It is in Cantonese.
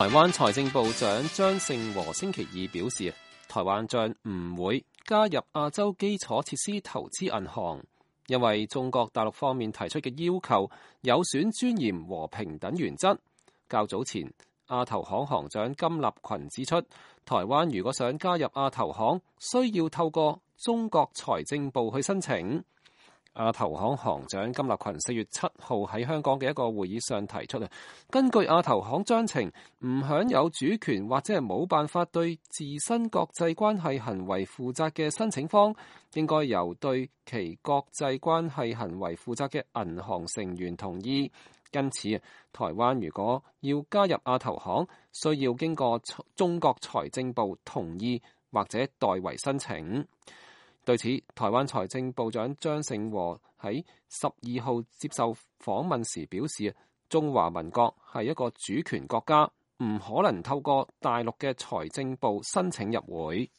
台灣財政部長張盛和星期二表示，台灣將唔會加入亞洲基礎設施投資銀行，因為中國大陸方面提出嘅要求有損尊嚴和平等原則。較早前，亞投行行長金立群指出，台灣如果想加入亞投行，需要透過中國財政部去申請。亞投行行長金立群4月7號喺香港嘅一個會議上提出，根據亞投行章程，唔享有主權或者係冇辦法對自身國際關係行為負責嘅申請方，應該由對其國際關係行為負責嘅銀行成員同意。因此，台灣如果要加入亞投行，需要經過中國財政部同意或者代為申請。對此，台灣財政部長張盛和喺12號接受訪問時表示，中華民國係一個主權國家，唔可能透過大陸嘅財政部申請入會。